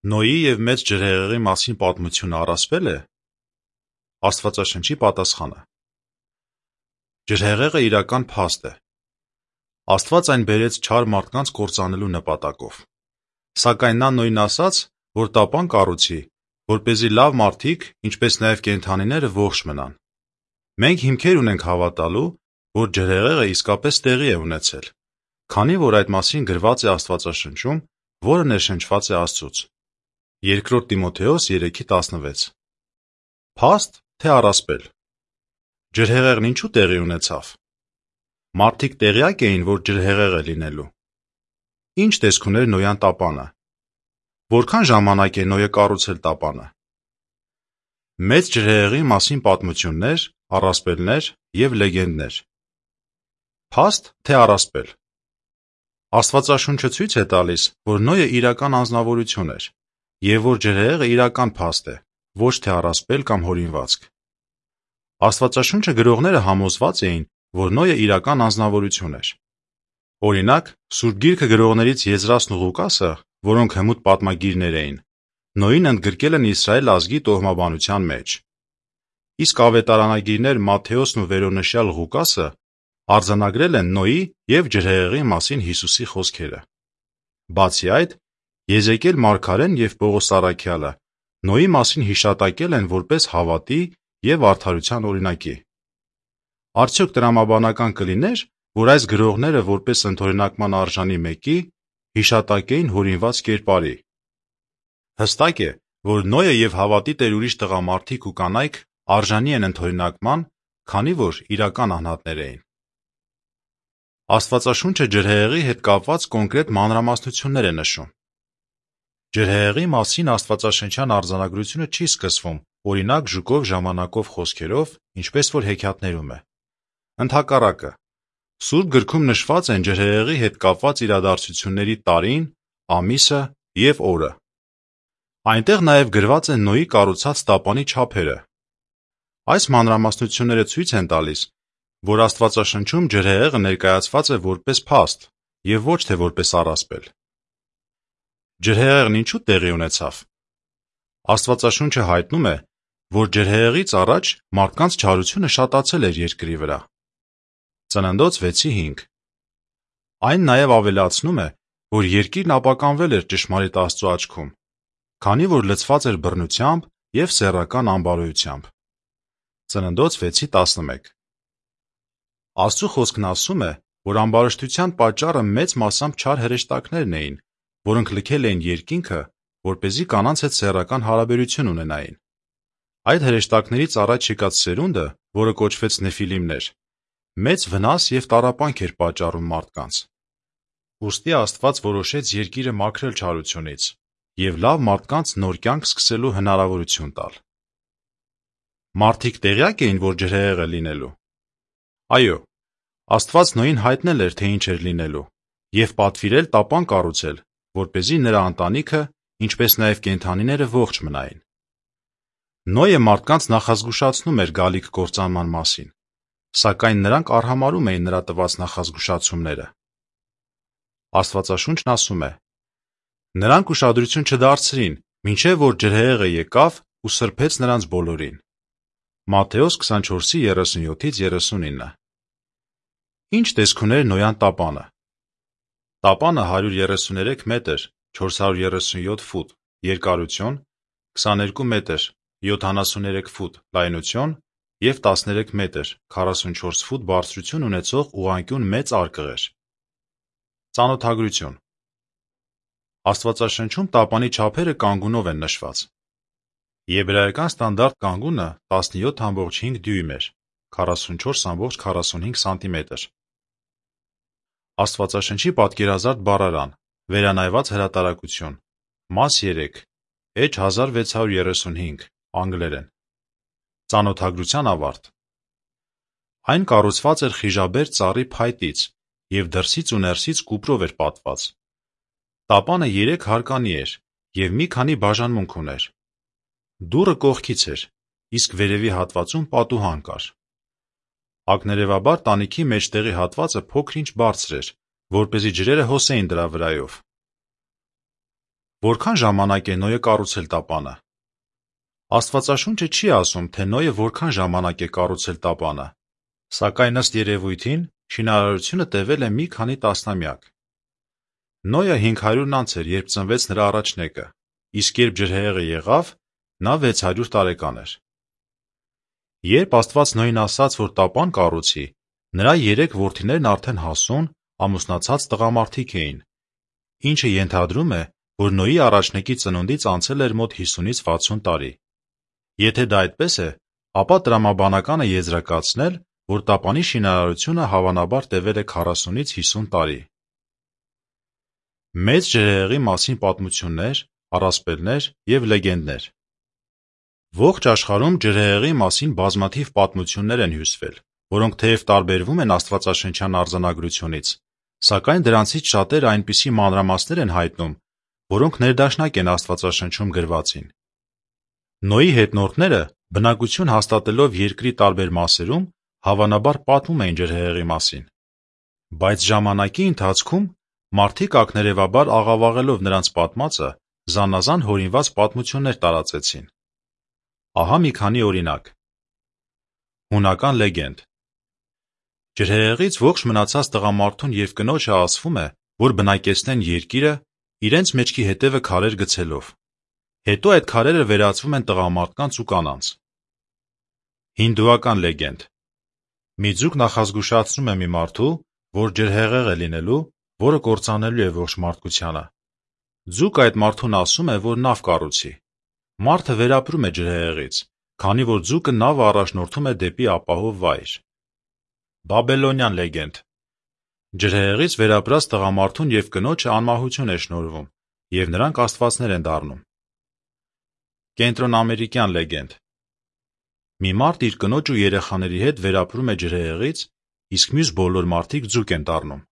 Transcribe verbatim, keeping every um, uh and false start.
Նոյի և մեծ ջրհեղեղի մասին պատմությունը առասպել է։ Աստվածաշնչի պատասխանը. Ջրհեղեղը իրական փաստ է։ Աստված այն բերեց չար մարդկանց կործանելու նպատակով։ Սակայն նա նույն ասաց, որ տապան կառուցի, որպեսզի լավ մարդիկ, ինչպես նաև կենդանիները ողջ մնան։ Մենք հիմքեր ունենք հավատալու, որ ջրհեղեղը իսկապես տեղի է ունեցել, քանի որ այդ մասին գրված է Աստվածաշնչում, որը ներշնչված է Աստծուց։ Երկրորդ Տիմոթեոս երեքի տասնվեց Փաստ, թե առասպել։ Ջրհեղեղն ինչու տեղի ունեցավ։ Մարդիկ տեղյակ էին, որ ջրհեղեղ է լինելու։ Ինչ տեսք ուներ Նոյան տապանը։ Որքան ժամանակ է Նոյը կառուցել տապանը։ Մեծ ջրհեղեղի մասին պատմություններ, առասպելներ և լեգենդներ։ Փաստ, թե առասպել։ Աստվածաշունչը ցույց է տալիս, որ Նոյը իրական անձնավորություն էր, և որ ջրհեղեղը իրական փաստ է, ոչ թե առասպել կամ հորինվածք։ Աստվածաշունչը գրողները համոզված էին, որ Նոյը իրական անձնավորություն էր։ Օրինակ, Սուրբ Գիրքը գրողներից Եզրասն ու Ղուկասը, որոնք հմուտ պատմագիրներ էին, Նոյին ընդգրկել են Իսրայել ազգի տոհմաբանության մեջ։ Իսկ ավետարանագիրներ Մատթեոսն ու վերոնշյալ Ղուկասը արձանագրել են Նոյի և ջրհեղեղի մասին Հիսուսի խոսքերը։ Բացի այդ, Եզեկիել մարգարեն և Պողոս առաքյալը Նոյի մասին հիշատակել են որպես հավատի և արդարության օրինակի։ Արդյոք տրամաբանական կլիներ, որ այս գրողները որպես ընդօրինակման արժանի մեկի հիշատակեին հորինված կերպարի։ Հստակ է, որ Նոյը և հավատի տեր ուրիշ տղամարդիկ ու կանայք արժանի են ընդօրինակման, քանի որ իրական անհատներ էին։ Աստվածաշունչը ջրհեղեղի հետ կապված կոնկրետ մանրամասնություններ է նշում։ Ջրհեղեղի մասին աստվածաշնչյան արձանագրությունը չի սկսվում օրինակ ժուկով ժամանակով խոսքերով, ինչպես որ հեքիաթներում է։ Ընդհակառակը, Սուրբ գրքում նշված են ջրհեղեղի հետ կապված իրադարձությունների տարին, ամիսը և օրը։ Այնտեղ նաև գրված են Նոյի կառուցած տապանի չափերը։ Այս մանրամասնությունները ցույց են տալիս, որ Աստվածաշնչում ջրհեղեղը ներկայացված է որպես փաստ և ոչ թե որպես առասպել։ Ջրհեղեղն ինչու տեղի ունեցավ։ Աստվածաշունչը հայտնում է, որ ջրհեղեղից առաջ մարդկանց չարությունը շատացել էր երկրի վրա։ Ծննդոց վեցի հինգ Այն նաև ավելացնում է, որ երկիրն ապականվել էր ճշմարիտ Աստծու աչքում, քանի որ լցված էր բռնությամբ և սեռական անբարոյությամբ։ Ծննդոց վեցի տասնմեկ Աստծու խոսքն ասում է, որ ամբարշտության պատճառը մեծ մասամբ չար հրեշտակներն էին, որոնք լքել էին երկինքը, որպեսզի կանանց հետ սեռական հարաբերություն ունենային։ Այդ հրեշտակներից առաջ եկած սերունդը, որը կոչվեց Նեֆիլիմներ, մեծ վնաս և տառապանք էր պատճառում մարդկանց։ Ուստի Աստված որոշեց երկիրը մաքրել չարությունից և լավ մարդկանց նոր կյանք սկսելու հնարավորություն տալ։ Մարդիկ տեղյակ էին, որ ջրհեղեղ է լինելու։ Այո, Աստված Նոյին հայտնել էր, թե ինչ էր լինելու, և պատվիրել տապան կառուցել, որպեսզի նրա ընտանիքը, ինչպես նաև կենդանիները ողջ մնային։ Նոյը մարդկանց նախազգուշացնում էր գալիք կործանման մասին, սակայն նրանք արհամարհում էին նրա տված նախազգուշացումները։ Աստվածաշունչն ասում է. Նրանք ուշադրություն չդարձրին, մինչև որ ջրհեղեղը եկավ ու սրբեց նրանց բոլորին։ Մատթեոս քսանչորսի երեսունյոթից երեսունինը Ինչ տեսք ուներ Նոյան տապանը։ Տապանը հարյուր երեսուներեք մետր, չորս հարյուր երեսունյոթ ֆուտ երկարություն, քսաներկու մետր, յոթանասուներեք ֆուտ լայնություն և տասներեք մետր, քառասունչորս ֆուտ բարձրություն ունեցող ուղղանկյուն մեծ արկղ էր։ Ծանոթագրություն Աստվածաշնչում տապանի չափերը կանգունով են նշված։ Եբրայական ստանդարտ կանգունը տասնյոթ ամբողջ հինգ դյույմ էր, քառասունչորս ամբողջ քառասունհինգ սանտիմետր։ Աստվածաշնչի պատկերազարդ բառարան, վերանայված հրատարակություն, մաս երեք, էջ հազար վեց հարյուր երեսունհինգ, անգլերեն։ Ծանոթագրության ավարտ Այն կառուցված էր խիժաբեր ծառի փայտից և դրսից ու ներսից կուպրով էր պատված։ Տապանը երեք հարկանի էր և մի քանի բաժանմունք ուներ։ Դուռը կողքից էր, իսկ վերևի հատվածում պատուհան կար։ Ակներևաբար տանիքի մեջտեղի հատվածը փոքր-ինչ բարձր էր, որպեսզի ջրերը հոսեին դրա վրայով։ Որքան ժամանակ է Նոյը կառուցել տապանը։ Աստվածաշունչը չի ասում, թե Նոյը որքան ժամանակ է կառուցել տապանը, սակայն ըստ երևույթին շինարարությունը տևել է մի քանի տասնամյակ։ Նոյը հինգ հարյուրն անց էր, երբ ծնվեց նրա առաջնեկը, իսկ երբ ջրհեղեղը եղավ, նա վեց հարյուր տարեկան էր։ Երբ Աստված Նոյին ասաց, որ տապան կառուցի, նրա երեք որդիներն արդեն հասուն, ամուսնացած տղամարդիկ էին, ինչը ենթադրում է, որ Նոյի առաջնեկի ծնունդից անցել էր մոտ հիսունից վաթսուն տարի։ Եթե դա այդպես է, ապա տրամաբանական է եզրակացնել, որ տապանի շինարարությունը հավանաբար տևել է քառասունից հիսուն տարի։ Մեծ ջրհեղեղի մասին պատմություններ, առասպելներ և լեգենդներ։ Ողջ աշխարհում ջրհեղեղի մասին բազմաթիվ պատմություններ են հյուսվել, որոնք թեև տարբերվում են աստվածաշնչյան արձանագրությունից, սակայն դրանցից շատերը այնպիսի մանրամասներ են հայտնում, որոնք ներդաշնակ են Աստվածաշնչում գրվածին։ Նոյի հետնորդները, բնակություն հաստատելով երկրի տարբեր մասերում, հավանաբար պատմում էին ջրհեղեղի մասին։ Բայց ժամանակի ընթացքում մարդիկ ակներևաբար աղավաղելով նրանց պատմածը, զանազան հորինված պատմություններ տարածեցին։ Ահա մի քանի օրինակ։ Հունական լեգենդ։ Ջրհեղեղից ողջ մնացած տղամարդուն և կնոջը ասվում է, որ բնակեցնեն երկիրը, իրենց մեջքի հետևը քարեր գցելով։ Հետո այդ քարերը վերածվում են տղամարդկանց ու կանանց։ Հինդուական լեգենդ։ Մի ձուկ նախազգուշացնում է մի մարդու, որ ջրհեղեղ է լինելու, որը կործանելու է ողջ մարդկությանը։ Ձուկը այդ մարդուն ասում է, որ նավ կառուցի։ Մարդը վերապրում է ջրհեղեղից, քանի որ ձուկը նավը առաջնորդում է դեպի ապահով վայր։ Բաբելոնյան լեգենդ։ Ջրհեղեղից վերապրած տղամարդուն և կնոջը անմահություն է շնորհվում, և նրանք աստվածներ են դառնում։ Կենտրոնամերիկյան լեգենդ։ Մի մարդ իր կնոջ ու երեխաների հետ վերապրում է ջրհեղեղից, իսկ մյուս բոլոր մարդիկ ձուկ են դառնում։